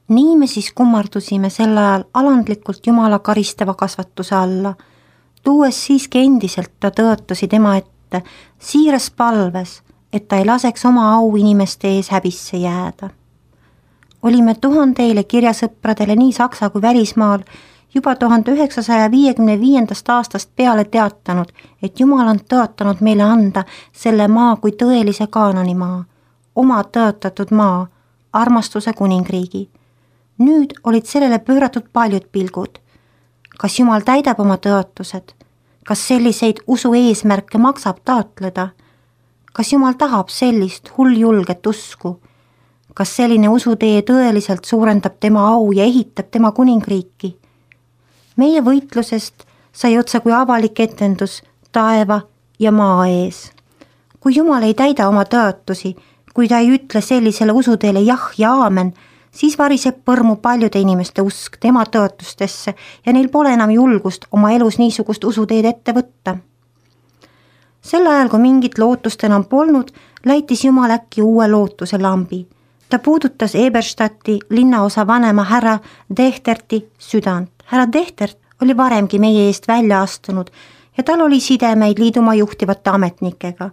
Nii me siis kummardusime sel ajal alandlikult Jumala karistava kasvatuse alla, tuues siiski endiselt ta tõotusi tema ette, siiras palves, et ta ei laseks oma au inimeste ees häbisse jääda. Olime tuhandeile kirjasõpradele nii Saksa kui välismaal juba 1955. aastast peale teatanud, et Jumal on tõotanud meile anda selle maa kui tõelise Kaananimaa, oma tõotatud maa, armastuse kuningriigi. Nüüd olid sellele pööratud paljud pilgud. Kas Jumal täidab oma tõotused? Kas selliseid usu eesmärke maksab taotleda? Kas Jumal tahab sellist hulljulget usku? Kas selline usutee tõeliselt suurendab tema au ja ehitab tema kuningriiki? Meie võitlusest sai otsa kui avalik etendus taeva ja maa ees. Kui Jumal ei täida oma tõotusi, kui ta ei ütle sellisele usuteele jah ja aamen, siis variseb põrmu paljude inimeste usk tema tõotustesse ja neil pole enam julgust oma elus niisugust usuteed ette võtta. Sel ajal, kui mingit lootust enam polnud, läitis Jumal äkki uue lootuse lambi. Ta puudutas Eberstadti linnaosa vanema härra Dechterti südant. Härra Dechtert oli varemgi meie eest välja astunud ja tal oli sidemeid liidumaa juhtivate ametnikega.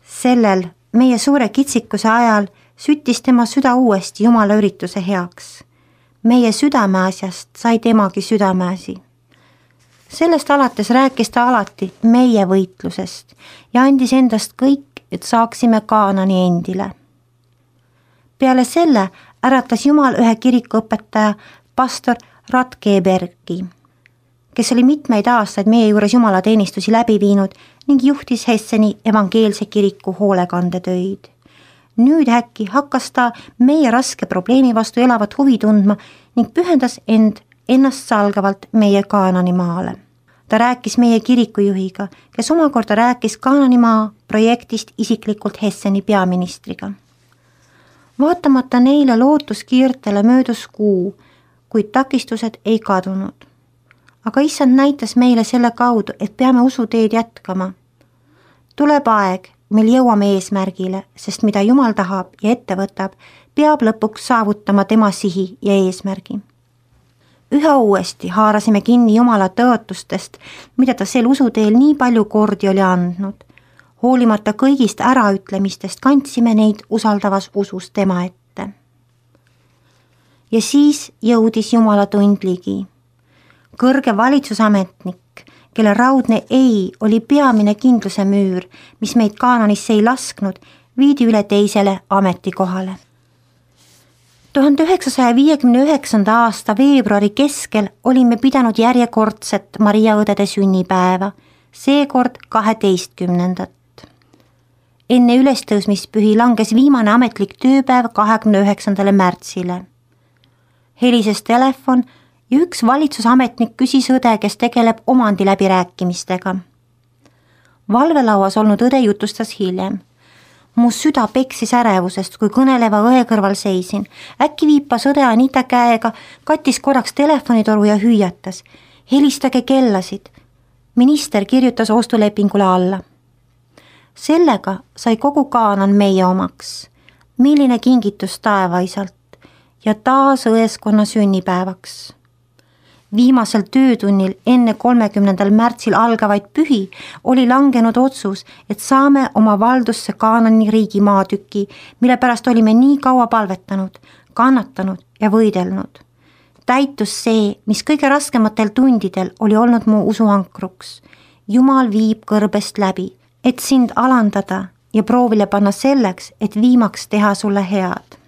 Sellel meie suure kitsikuse ajal süttis tema süda uuesti Jumala ürituse heaks. Meie südameasjast sai temagi südameasi. Sellest alates rääkis ta alati meie võitlusest ja andis endast kõik, et saaksime Kaanani endile. Peale selle äratas Jumal ühe kirikuõpetaja pastor Ratkebergi, kes oli mitmeid aastaid meie juures jumalateenistusi läbi viinud ning juhtis Hesseni evangeelse kiriku hoolekandetöid. Nüüd äkki hakkas ta meie raske probleemi vastu elavat huvi tundma ning pühendas ennast salgavalt meie Kaananimaale. Ta rääkis meie kirikujuhiga, kes omakorda rääkis Kaananimaa projektist isiklikult Hesseni peaministriga. Vaatamata neile lootuskiirtele möödus kuu, kuid takistused ei kadunud. Aga issand näitas meile selle kaudu, et peame usuteed jätkama. Tuleb aeg, mil jõuame eesmärgile, sest mida Jumal tahab ja ette võtab, peab lõpuks saavutama tema sihi ja eesmärgi. Üha uuesti haarasime kinni Jumala tõotustest, mida ta sel usuteel nii palju kordi oli andnud. Hoolimata kõigist äraütlemistest kandsime neid usaldavas usus tema ette. Ja siis jõudis Jumala tund ligi. Kõrge valitsusametnik, kelle raudne ei oli peamine kindluse müür, mis meid Kaananisse ei lasknud, viidi üle teisele ametikohale. 1959. aasta veebruari keskel olime pidanud järjekordset Maria õdede sünnipäeva, seekord 12. Enne ülestõusmispühi langes viimane ametlik tööpäev 29. märtsile. Helises telefon ja üks valitsusametnik küsis õde, kes tegeleb omandi läbirääkimistega. Valvelauas olnud õde jutustas hiljem. Mu süda peksis ärevusest, kui kõneleva õe kõrval seisin. Äkki viipas õde Anita käega, kattis korraks telefonitoru ja hüüatas. Helistage kellasid. Minister kirjutas ostulepingule alla. Sellega sai kogu Kaanan meie omaks. Milline kingitus taevaisalt ja taas õeskonna sünnipäevaks. Viimasel töötunnil enne 30. märtsil algavaid pühi oli langenud otsus, et saame oma valdusse Kaanani riigi maatüki, mille pärast olime nii kaua palvetanud, kannatanud ja võidelnud. Täitus see, mis kõige raskematel tundidel oli olnud mu usuankruks. Jumal viib kõrbest läbi, et sind alandada ja proovile panna selleks, et viimaks teha sulle head.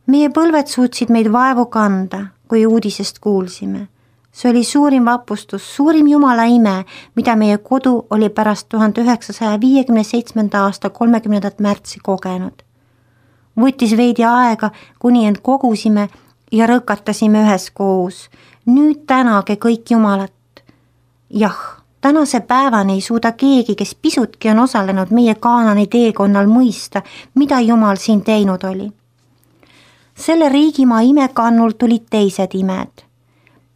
Meie põlved suutsid meid vaevu kanda, kui uudisest kuulsime. See oli suurim vapustus, suurim Jumala ime, mida meie kodu oli pärast 1957. aasta 30. märtsi kogenud. Võttis veidi aega, kuni end kogusime ja rõkatasime üheskoos. Nüüd tänage kõik Jumalat. Jah, tänase päevani ei suuda keegi, kes pisutki on osalenud meie Kaanani teekonnal mõista, mida Jumal siin teinud oli. Selle riigimaa imekannul tulid teised imed.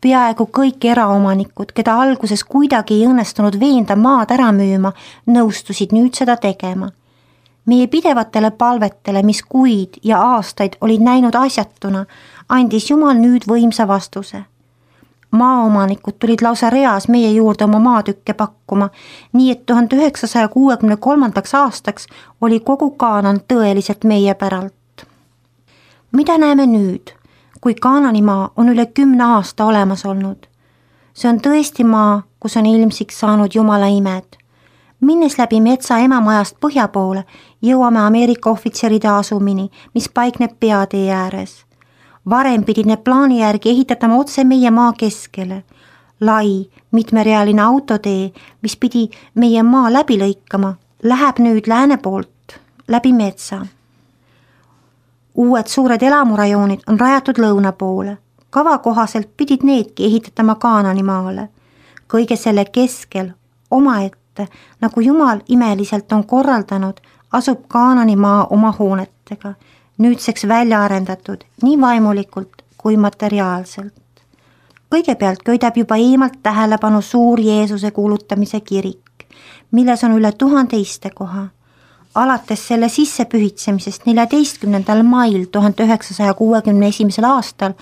Peaaegu kõik eraomanikud, keda alguses kuidagi ei õnnestunud veenda maad ära müüma, nõustusid nüüd seda tegema. Meie pidevatele palvetele, mis kuid ja aastaid olid näinud asjatuna, andis Jumal nüüd võimsa vastuse. Maaomanikud tulid lausa reas meie juurde oma maatükke pakkuma, nii et 1963. aastaks oli kogu Kaanaan tõeliselt meie päralt. Mida näeme nüüd, kui Kaananimaa on üle 10 aasta olemas olnud? See on tõesti maa, kus on ilmsiks saanud Jumala imed. Minnes läbi metsa emamajast põhja poole, jõuame Ameerika ohvitseride asumini, mis paikneb peatee ääres. Varem pidid need plaani järgi ehitatama otse meie maa keskele. Lai, mitmerealine autotee, mis pidi meie maa läbi lõikama, läheb nüüd lääne poolt läbi metsa. Uued suured elamurajoonid on rajatud lõuna poole. Kava kohaselt pidid needki ehitatama Kaananimaale. Kõige selle keskel omaette, nagu Jumal imeliselt on korraldanud, asub Kaananimaa oma hoonetega, nüüdseks välja arendatud nii vaimulikult kui materiaalselt. Kõigepealt köidab juba eemalt tähelepanu suur Jeesuse kuulutamise kirik, milles on üle 1000 istekoha. Alates selle sissepühitsemisest 14. mail 1961. aastal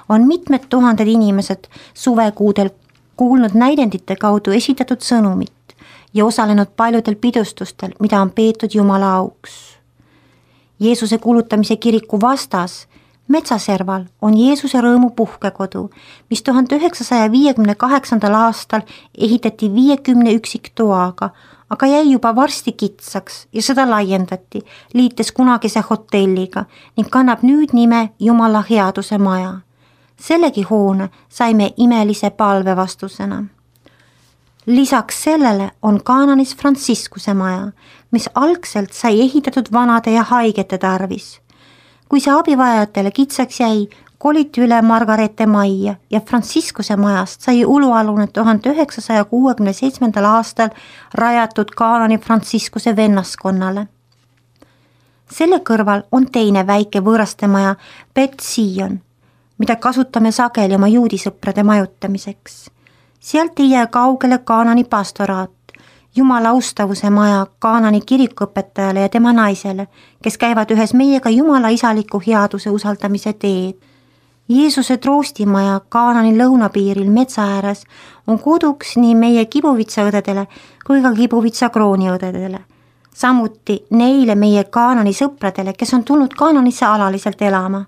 on mitmed tuhanded inimesed suvekuudel kuulnud näidendite kaudu esitatud sõnumit ja osalenud paljudel pidustustel, mida on peetud Jumala auks. Jeesuse kuulutamise kiriku vastas metsaserval on Jeesuse rõõmu puhkekodu, mis 1958. aastal ehitati 50 üksiktoaga, aga jäi juba varsti kitsaks ja seda laiendati, liites kunagise hotelliga ning kannab nüüd nime Jumala headuse maja. Sellegi hoone saime imelise palve vastusena. Lisaks sellele on Kaananis Franciscuse maja, mis algselt sai ehitatud vanade ja haigete tarvis. Kui see abivajajatele kitsaks jäi, koliti üle Margarete majja ja Franciscuse majast sai ulualune 1967. aastal rajatud Kaanani Franciscuse vennaskonnale. Selle kõrval on teine väike võõraste maja Bet Sion, mida kasutame sageli oma juudisõprade majutamiseks. Sealt ei jää kaugele Kaanani pastoraat, Jumala austavuse maja Kaanani kirikuõpetajale ja tema naisele, kes käivad ühes meiega Jumala isaliku headuse usaldamise teed. Jeesuse troostimaja Kaanani lõunapiiril metsa ääres on koduks nii meie Kibuvitsa-õdedele kui ka Kibuvitsa krooniõdedele. Samuti neile meie Kaanani sõpradele, kes on tulnud Kaananisse alaliselt elama.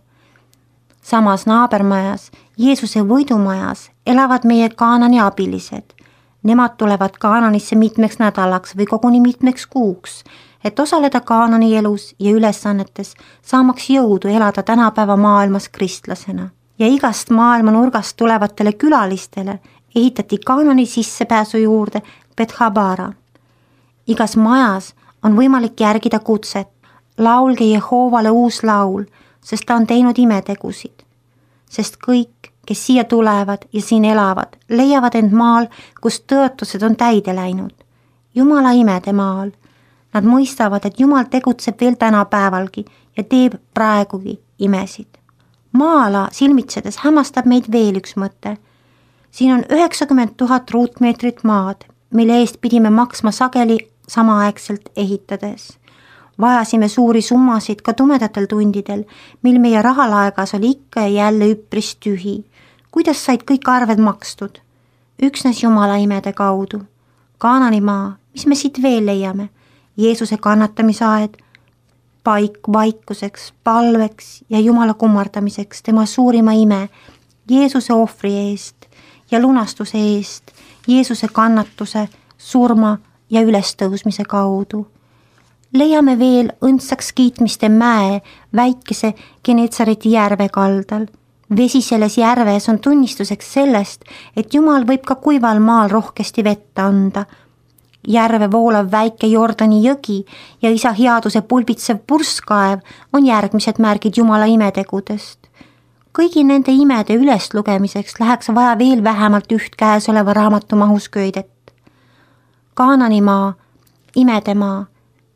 Samas naabermajas, Jeesuse võidumajas elavad meie Kaanani abilised. Nemad tulevad Kaananisse mitmeks nädalaks või koguni mitmeks kuuks, et osaleda Kaanani elus ja ülesannetes, saamaks jõudu elada tänapäeva maailmas kristlasena. Ja igast maailma nurgast tulevatele külalistele ehitati Kaanani sissepääsu juurde Bethabara. Igas majas on võimalik järgida kutset, laulge Jehoovale uus laul, sest ta on teinud imetegusid. Sest kõik, kes siia tulevad ja siin elavad, leiavad end maal, kus tõotused on täide läinud. Jumala imede maal. Nad mõistavad, et Jumal tegutseb veel tänapäevalgi ja teeb praegugi imesid. Maa-ala silmitsedes hämmastab meid veel üks mõte. Siin on 90 000 ruutmeetrit maad, mille eest pidime maksma sageli samaaegselt ehitades. Vajasime suuri summasid ka tumedatel tundidel, mil meie rahalaegas oli ikka ja jälle üpris tühi. Kuidas said kõik arved makstud? Üksnes Jumala imede kaudu. Kaananimaa, mis me siit veel leiame? Jeesuse kannatamisaed, paik vaikuseks, palveks ja Jumala kummardamiseks tema suurima ime, Jeesuse ohvri eest ja lunastuse eest, Jeesuse kannatuse, surma ja ülestõusmise kaudu. Leiame veel õndsaks kiitmiste mäe väikese Genetsareti järve kaldal. Vesi selles järves on tunnistuseks sellest, et Jumal võib ka kuival maal rohkesti vett anda. Järve voolav väike Jordani jõgi ja isa headuse pulbitsev purskkaev on järgmised märgid Jumala imetegudest. Kõigi nende imede üleslugemiseks läheks vaja veel vähemalt üht käesoleva raamatu mahus köidet. Kaananimaa, imedemaa.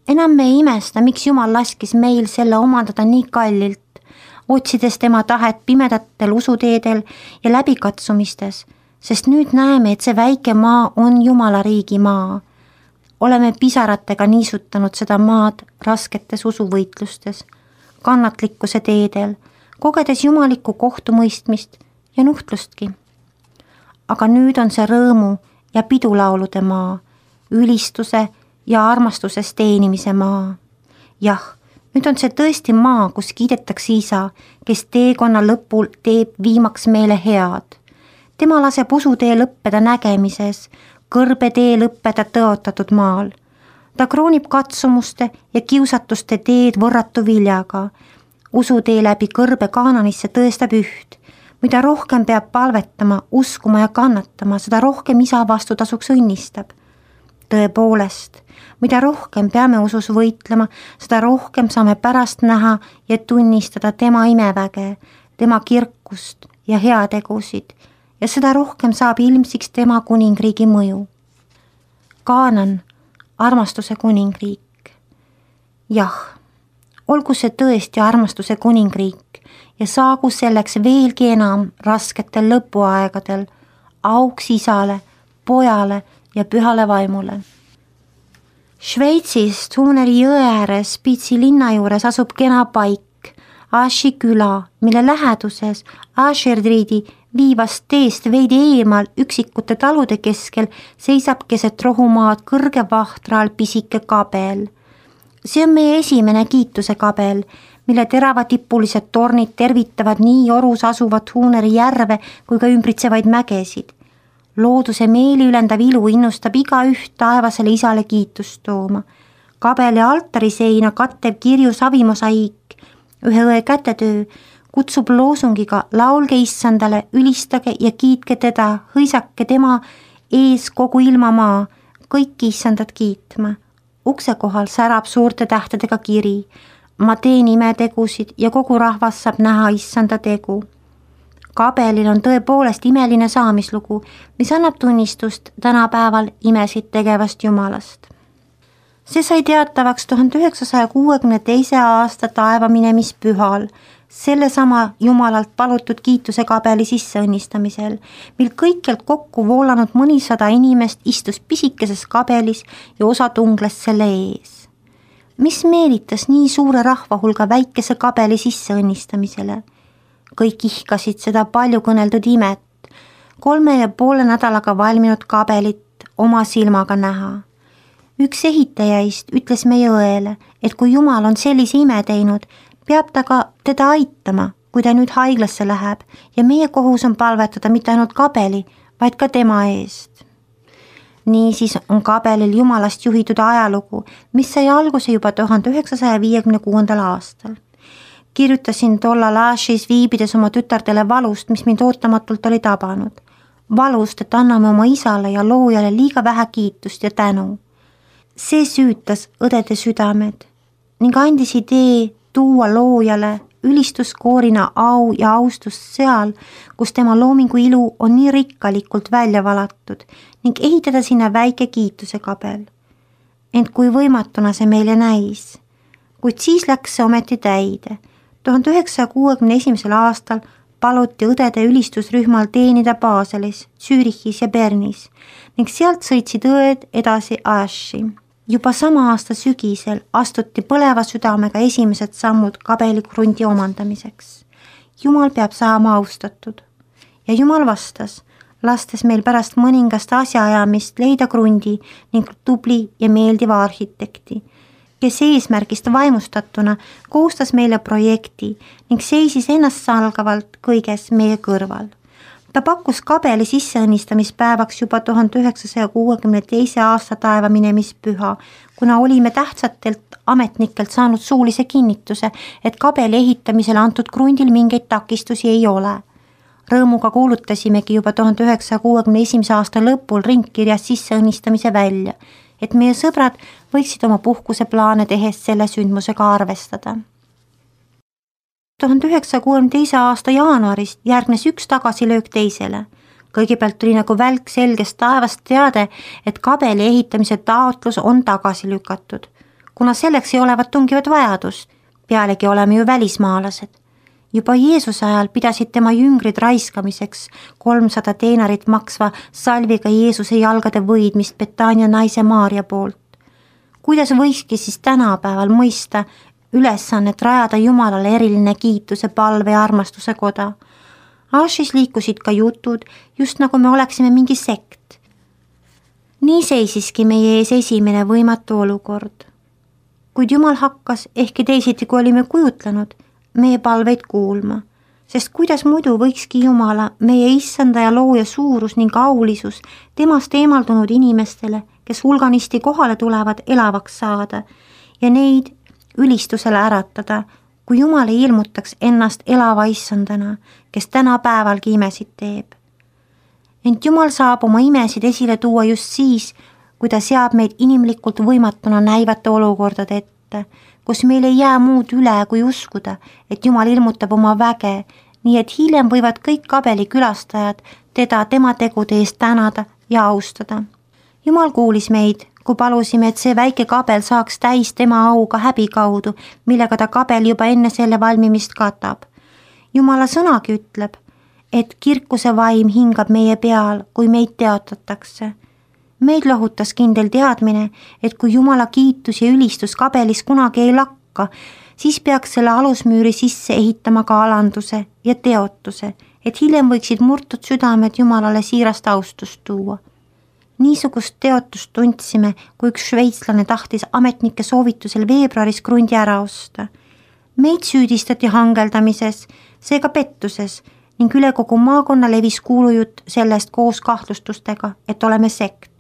Enam me ei imesta, miks Jumal laskis meil selle omandada nii kallilt, otsides tema tahet pimedatel usuteedel ja läbikatsumistes, sest nüüd näeme, et see väike maa on Jumala riigi maa. oleme pisaratega niisutanud seda maad rasketes usuvõitlustes, kannatlikkuse teedel, kogedes jumalikku kohtumõistmist ja nuhtlustki. Aga nüüd on see rõõmu ja pidulaulude maa, ülistuse ja armastuses teenimise maa. Jah, nüüd on see tõesti maa, kus kiidetakse Isa, kes teekonna lõpul teeb viimaks meile head. Tema laseb usutee lõppeda nägemises, kõrbe tee lõppeda tõotatud maal. Ta kroonib katsumuste ja kiusatuste teed võrratu viljaga. Usutee läbi kõrbe Kaananisse tõestab üht. Mida rohkem peab palvetama, uskuma ja kannatama, seda rohkem Isa vastutasuks õnnistab. Tõepoolest, mida rohkem peame usus võitlema, seda rohkem saame pärast näha ja tunnistada tema imeväge, tema kirkust ja heategusid ja seda rohkem saab ilmsiks tema kuningriigi mõju. Kaanan, armastuse kuningriik. Jah, olgu see tõesti armastuse kuningriik ja saagu selleks veelgi enam rasketel lõpuaegadel auks Isale, Pojale ja Pühale Vaimule. Šveitsis Tuuneri jõe ääres Spitsi linna juures asub kena paik, Aši küla, mille läheduses Ašerdriidi viivast teest veidi eemal üksikute talude keskel seisab keset rohumaad kõrge vahtra all pisike kabel. See on meie esimene kiituse kabel, mille teravatipulised tornid tervitavad nii orus asuvat Tuuneri järve kui ka ümbritsevaid mägesid. Looduse meeliülendav ilu innustab igaüht taevasele Isale kiitust tooma. Kabeli altariseina kattev kirju savimosaiik, ühe õe kätetöö, kutsub loosungiga laulge Issandale, ülistage ja kiitke teda, hõisake tema ees kogu ilmamaa, kõiki Issandat kiitma. Ukse kohal särab suurte tähtedega kiri. Ma teen imetegusid ja kogu rahvas saab näha Issanda tegu. Kabelil on tõepoolest imeline saamislugu, mis annab tunnistust tänapäeval imesid tegevast Jumalast. See sai teatavaks 1962. aasta taevaminemispühal, sellesama Jumalalt palutud kiituse kabeli sisseõnnistamisel, mil kõikjalt kokku voolanud mõnisada inimest istus pisikeses kabelis ja osa tungles selle ees. Mis meelitas nii suure rahvahulga väikese kabeli sisseõnnistamisele? Kõik ihkasid seda palju kõneldud imet, 3,5 nädalaga valminud kabelit oma silmaga näha. Üks ehitajaist ütles meie õele, et kui Jumal on sellise ime teinud, peab ta ka teda aitama, kui ta nüüd haiglasse läheb ja meie kohus on palvetada mitte ainult kabeli, vaid ka tema eest. Niisiis on kabelil Jumalast juhitud ajalugu, mis sai alguse juba 1956. aastal. Kirjutasin tollal Ašis viibides oma tütardele valust, mis mind ootamatult oli tabanud. Valust, et anname oma Isale ja loojale liiga vähe kiitust ja tänu. See süütas õdede südamed ning andis idee tuua loojale ülistuskoorina au ja austust seal, kus tema loomingu ilu on nii rikkalikult välja valatud ning ehitada sinna väike kiituse kabel. Ent kui võimatuna see meile näis, kuid siis läks see ometi täide. 1961. aastal paluti õdede ülistusrühmal teenida Baselis, Zürichis ja Bernis ning sealt sõitsid õed edasi Aši. Juba sama aasta sügisel astuti põleva südamega esimesed sammud kabelikrundi omandamiseks. Jumal peab saama austatud. Ja Jumal vastas, lastes meil pärast mõningast asjaajamist leida krundi ning tubli ja meeldiva arhitekti, kes eesmärgist vaimustatuna koostas meile projekti ning seisis ennastsalgavalt kõiges meie kõrval. Ta pakkus kabeli sisseõnnistamispäevaks juba 1962. aasta taevaminemispüha, kuna olime tähtsatelt ametnikelt saanud suulise kinnituse, et kabeli ehitamisele antud krundil mingeid takistusi ei ole. Rõõmuga kuulutasimegi juba 1961. aasta lõpul ringkirjas sisseõnnistamise välja, et meie sõbrad võiksid oma puhkuseplaane tehes selle sündmusega arvestada. 1962. aasta jaanuarist järgnes üks tagasilöök teisele. Kõigepealt tuli nagu välk selgest taevast teade, et kabeli ehitamise taotlus on tagasi lükatud, kuna selleks ei olevat tungivat vajadust, pealegi oleme ju välismaalased. Juba Jeesuse ajal pidasid tema jüngrid raiskamiseks 300 teinarit maksva salviga Jeesuse jalgade võidmist Betania naise Maarja poolt. kuidas võikski siis tänapäeval mõista ülesannet rajada Jumalale eriline kiituse, palve ja armastuse koda? Ashis liikusid ka jutud, just nagu me oleksime mingi sekt. Nii seisiski meie ees esimene võimatu olukord. Kuid Jumal hakkas, ehkki teisiti kui olime kujutlenud, meie palveid kuulma, sest kuidas muidu võikski Jumala, meie issanda ja looja suurus ning aulisus temast eemaldunud inimestele, kes hulganisti kohale tulevad, elavaks saada ja neid ülistusele äratada, kui Jumal ei ilmutaks ennast elava issandana, kes tänapäevalgi imesid teeb. Ent Jumal saab oma imesid esile tuua just siis, kui ta seab meid inimlikult võimatuna näivate olukordade ette, kus meil ei jää muud üle kui uskuda, et Jumal ilmutab oma väge, nii et hiljem võivad kõik kabeli külastajad teda tema tegude eest tänada ja austada. Jumal kuulis meid, kui palusime, et see väike kabel saaks täis tema auga häbi kaudu, millega ta kabel juba enne selle valmimist katab. Jumala sõnagi ütleb, et kirkuse vaim hingab meie peal, kui meid teotatakse. Meid lohutas kindel teadmine, et kui Jumala kiitus ja ülistus kabelis kunagi ei lakka, siis peaks selle alusmüüri sisse ehitama ka alanduse ja teotuse, et hiljem võiksid murtud südamed Jumalale siirast austust tuua. Niisugust teotust tundsime, kui üks šveitslane tahtis ametnike soovitusel veebruaris krundi ära osta. Meid süüdistati hangeldamises, seega pettuses ning üle kogu maakonna levis kuulujutt sellest koos kahtlustustega, et oleme sekt.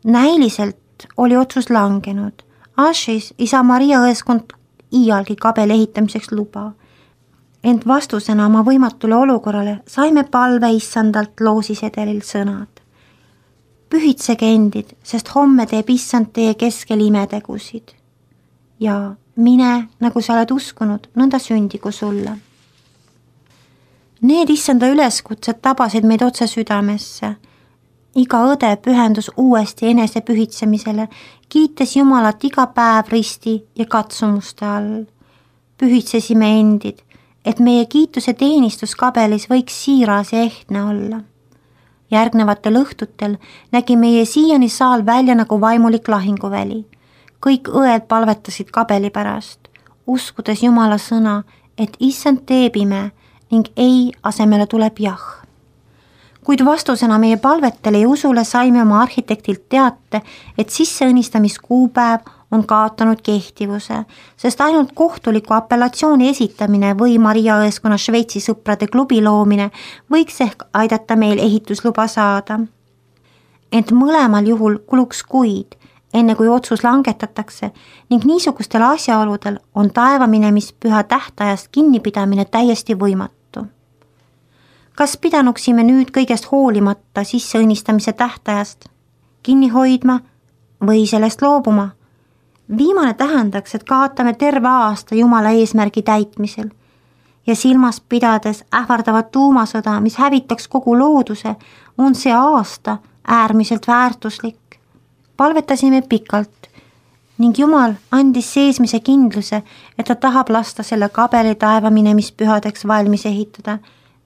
Näiliselt oli otsus langenud. Ashis isa Maria õeskond iialgi kabeli ehitamiseks luba. Ent vastusena oma võimatule olukorrale saime palve issandalt loosisedelil sõnad. Pühitsege endid, sest homme teeb issand teie keskel imetegusid. Ja mine, nagu sa oled uskunud, nõnda sündigu sulle. Need issanda üleskutsed tabasid meid otse südamesse. Iga õde pühendus uuesti enese pühitsemisele, kiites Jumalat iga päev risti ja katsumuste all. Pühitsesime endid, et meie kiituse teenistus kabelis võiks siiras ja ehtne olla. Järgnevatel õhtutel nägi meie siiani saal välja nagu vaimulik lahinguväli. Kõik õed palvetasid kabeli pärast, uskudes Jumala sõna, et issand teeb ime ning ei asemele tuleb jah. Kuid vastusena meie palvetele ja usule saime oma arhitektilt teate, et sisseõnnistamiskuupäev on kaotanud kehtivuse, sest ainult kohtuliku apellatsiooni esitamine või Maria õeskonna Šveitsi sõprade klubi loomine võiks ehk aidata meil ehitusluba saada. Ent mõlemal juhul kuluks kuid, enne kui otsus langetatakse ning niisugustel asjaoludel on taevaminemist-püha tähtajast kinnipidamine täiesti võimatu. Kas pidanuksime nüüd kõigest hoolimata sisseõnnistamise tähtajast kinni hoidma või sellest loobuma? Viimane tähendaks, et kaotame terve aasta Jumala eesmärgi täitmisel ja silmas pidades ähvardavat tuumasõda, mis hävitaks kogu looduse, on see aasta äärmiselt väärtuslik. Palvetasime pikalt ning Jumal andis seesmise kindluse, et ta tahab lasta selle kabeli taevaminemist-pühadeks valmis ehitada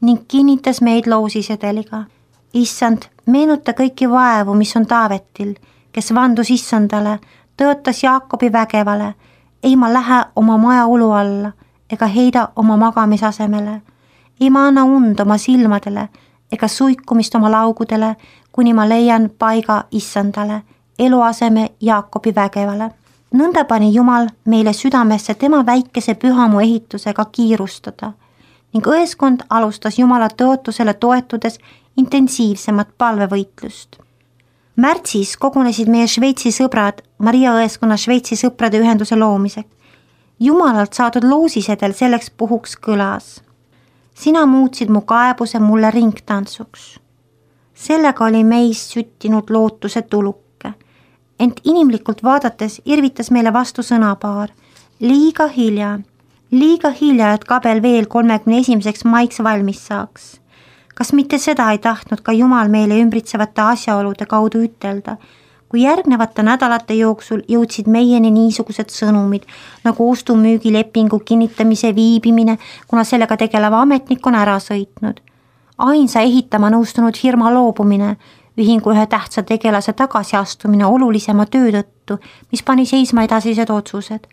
ning kinnitas meid loosisedeliga. Issand, meenuta kõiki vaevu, mis on Taavetil, kes vandus issandale, tõotas Jaakobi vägevale, ei ma lähe oma maja ulu alla ega heida oma magamisasemele, ei ma anna und oma silmadele ega suikumist oma laugudele, kuni ma leian paiga issandale, eluaseme Jaakobi vägevale. Nõnda pani Jumal meile südamesse tema väikese pühamu ehitusega kiirustada ning õeskond alustas Jumala tõotusele toetudes intensiivsemat palvevõitlust. Märtsis kogunesid meie Šveitsi sõbrad Maria õeskonna Šveitsi sõprade ühenduse loomiseks. Jumalalt saadud loosisedel selleks puhuks kõlas. Sina muutsid mu kaebuse mulle ringtantsuks. Sellega oli meis süttinud lootuse tuluke. Ent inimlikult vaadates irvitas meile vastu sõnapaar. Liiga hilja, et kabel veel 31. maiks valmis saaks. Kas mitte seda ei tahtnud ka Jumal meile ümbritsevate asjaolude kaudu ütelda, kui järgnevate nädalate jooksul jõudsid meieni niisugused sõnumid, nagu ostumüügilepingu kinnitamise viibimine, kuna sellega tegeleva ametnik on ära sõitnud. Ainsa ehitama nõustunud firma loobumine, ühingu ühe tähtsa tegelase tagasiastumine olulisema töö tõttu, mis pani seisma edasised otsused.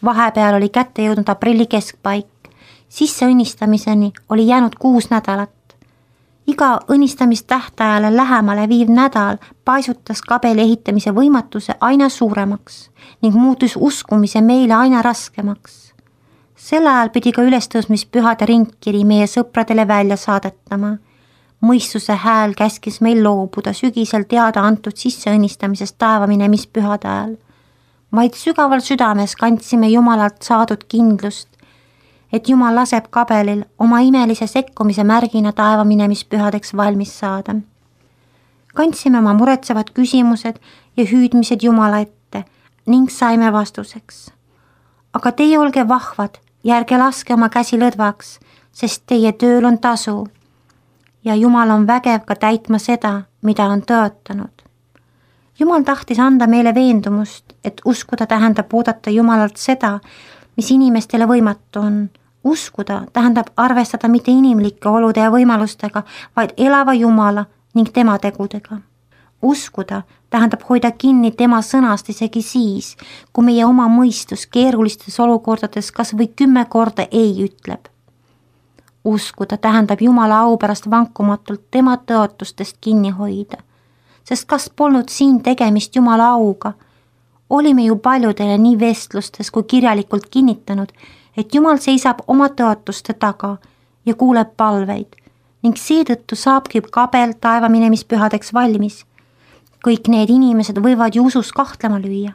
Vahepeal oli kätte jõudnud aprilli keskpaik. Sisseõnnistamiseni oli jäänud 6 nädalat. Iga õnnistamistähtajale lähemale viiv nädal paisutas kabeli ehitamise võimatuse aina suuremaks ning muutus uskumise meile aina raskemaks. Sel ajal pidi ka ülestõusmispühade ringkiri meie sõpradele välja saadetama. Mõistuse hääl käskis meil loobuda sügisel teada antud sisseõnnistamisest taevaminemist ajal. Vaid sügaval südames kandsime Jumalalt saadud kindlust, et Jumal laseb kabelil oma imelise sekkumise märgina taevaminemist valmis saada. Kandsime oma muretsevad küsimused ja hüüdmised Jumala ette ning saime vastuseks. Aga teie olge vahvad ja ärge laske oma käsi lõdvaks, sest teie tööl on tasu. Ja Jumal on vägev ka täitma seda, mida on tõotanud. Jumal tahtis anda meile veendumust, et uskuda tähendab oodata Jumalalt seda, mis inimestele võimatu on. Uskuda tähendab arvestada mitte inimlike olude ja võimalustega, vaid elava Jumala ning tema tegudega. Uskuda tähendab hoida kinni tema sõnast isegi siis, kui meie oma mõistus keerulistes olukordades kas või 10 korda ei ütleb. Uskuda tähendab Jumala au pärast vankumatult tema tõotustest kinni hoida, sest kas polnud siin tegemist Jumala auga, olime ju paljudele nii vestlustes kui kirjalikult kinnitanud, et Jumal seisab oma tõotuste taga ja kuuleb palveid ning seetõttu saabki kabel taevaminemispühadeks valmis. Kõik need inimesed võivad ju usus kahtlema lüüa.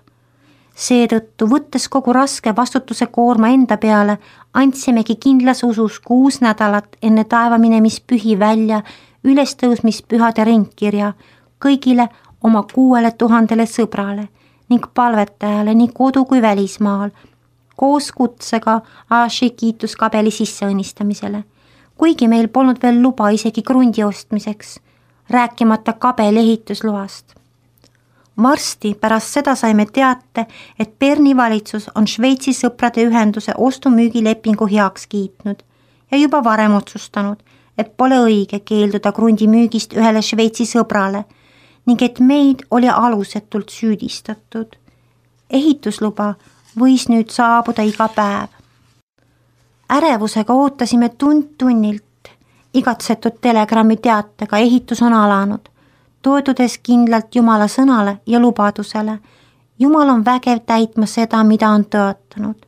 Seetõttu, võttes kogu raske vastutuse koorma enda peale, andsimegi kindlas usus 6 nädalat enne taevaminemispühi välja ülestõusmispühade ringkirja kõigile oma 6000 sõbrale ning palvetajale nii kodu kui välismaal, koos kutsega Aaši kiituskabeli sisseõnnistamisele, kuigi meil polnud veel luba isegi krundi ostmiseks, rääkimata kabeli ehitusloast. Varsti pärast seda saime teate, et Berni valitsus on Šveitsi sõprade ühenduse ostu-müügilepingu heaks kiitnud ja juba varem otsustanud, et pole õige keelduda krundi müügist ühele Šveitsi sõbrale ning et meid oli alusetult süüdistatud. Ehitusluba võis nüüd saabuda iga päev. Ärevusega ootasime tund-tunnilt igatsetud telegrammi teatega ehitus on alanud, toetudes kindlalt Jumala sõnale ja lubadusele. Jumal on vägev täitma seda, mida on tõotanud.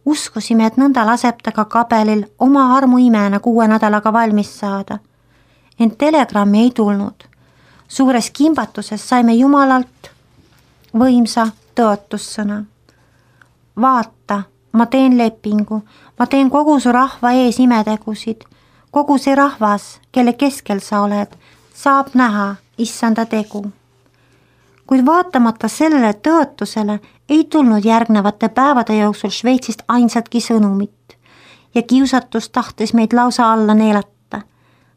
Uskusime, et nõnda laseb ta ka kabelil oma armuimena 6 nädalaga valmis saada. Ent telegrammi ei tulnud. Suures kimbatuses saime Jumalalt võimsa tõotussõna. Vaata, ma teen lepingu, ma teen kogu su rahva ees imetegusid. Kogu see rahvas, kelle keskel sa oled, saab näha issanda tegu. Kuid vaatamata sellele tõotusele ei tulnud järgnevate päevade jooksul Šveitsist ainsatki sõnumit ja kiusatus tahtis meid lausa alla neelata.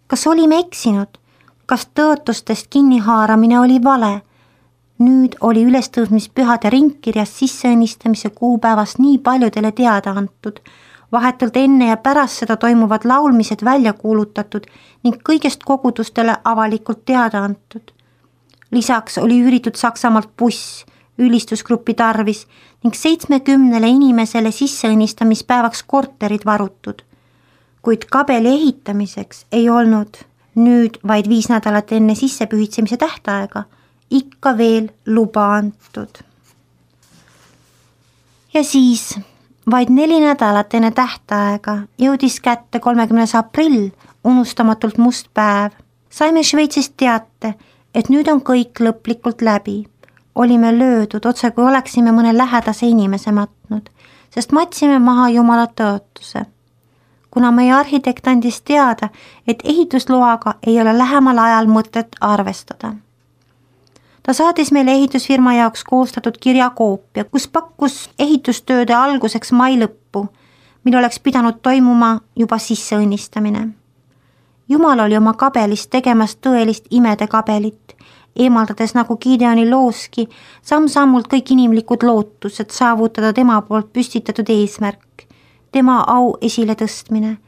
Kas olime eksinud? Kas tõotustest kinnihaaramine oli vale? Nüüd oli ülestõusmispühade ringkirjas sisseõnnistamise kuupäevast nii paljudele teada antud, vahetult enne ja pärast seda toimuvad laulmised välja kuulutatud ning kõigest kogudustele avalikult teada antud. Lisaks oli üüritud Saksamaalt buss ülistusgrupi tarvis ning 70 inimesele sisseõnnistamispäevaks korterid varutud. Kuid kabeli ehitamiseks ei olnud nüüd vaid 5 nädalat enne sissepühitsemise tähtaega ikka veel luba antud. Ja siis vaid 4 nädalat enne tähtaega jõudis kätte 30. aprill, unustamatult must päev. Saime Šveitsist teate, et nüüd on kõik lõplikult läbi. Olime löödud otse kui oleksime mõne lähedase inimese matnud, sest matsime maha Jumala tõotuse. Kuna meie arhitekt andis teada, et ehitusloaga ei ole lähemal ajal mõtet arvestada. Ta saatis meile ehitusfirma jaoks koostatud kirjakoopia, kus pakkus ehitustööde alguseks mai lõppu, mil oleks pidanud toimuma juba sisseõnnistamine. Jumal oli oma kabelist tegemas tõelist imede kabelit, eemaldades nagu Gideoni looski samm-sammult kõik inimlikud lootused saavutada tema poolt püstitatud eesmärk, tema au esile tõstmine.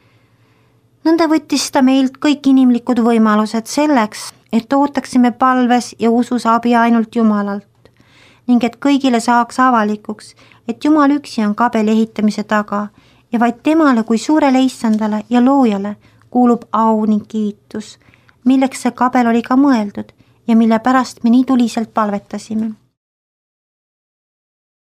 nõnda võttis ta meilt kõik inimlikud võimalused selleks, et ootaksime palves ja usus abi ainult Jumalalt ning et kõigile saaks avalikuks, et Jumal üksi on kabeli ehitamise taga ja vaid temale kui suurele issandale ja loojale kuulub au ning kiitus, milleks see kabel oli ka mõeldud ja mille pärast me nii tuliselt palvetasime.